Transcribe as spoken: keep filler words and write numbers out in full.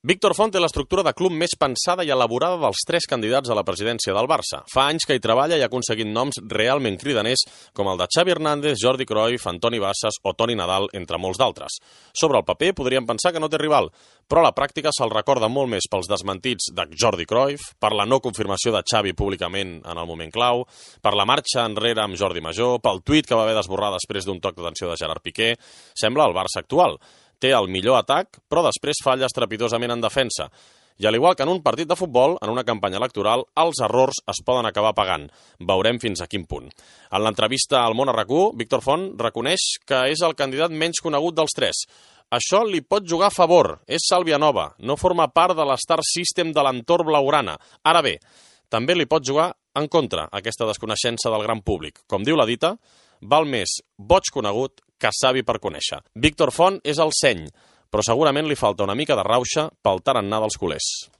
Víctor Font té l'estructura de club més pensada i elaborada dels tres candidats a la presidència del Barça. Fa anys que hi treballa i ha aconseguit noms realment cridaners com el de Xavi Hernández, Jordi Cruyff, Antoni Bassas o Toni Nadal, entre molts d'altres. Sobre el paper podríem pensar que no té rival, però a la pràctica se'l recorda molt més pels desmentits de Jordi Cruyff, per la no confirmació de Xavi públicament en el moment clau, per la marxa enrere amb Jordi Major, pel tuit que va haver d'esborrar després d'un toc d'atenció de Gerard Piqué. Sembla el Barça actual. Té el millor atac, però després falla estrepitosament en defensa. I al igual que en un partit de futbol, en una campanya electoral, els errors es poden acabar pagant. Veurem fins a quin punt. En l'entrevista al Món a RAC1, Víctor Font reconeix que és el candidat menys conegut dels tres. Això li pot jugar a favor. És Sàlvia Nova. No forma part de l'Star System de l'entorn blaugrana. Ara bé, també li pot jugar en contra aquesta desconeixença del gran públic. Com diu la dita, val més boig conegut que savi per conèixer. Víctor Font és el seny, però segurament li falta una mica de rauxa pel tarannà dels culers.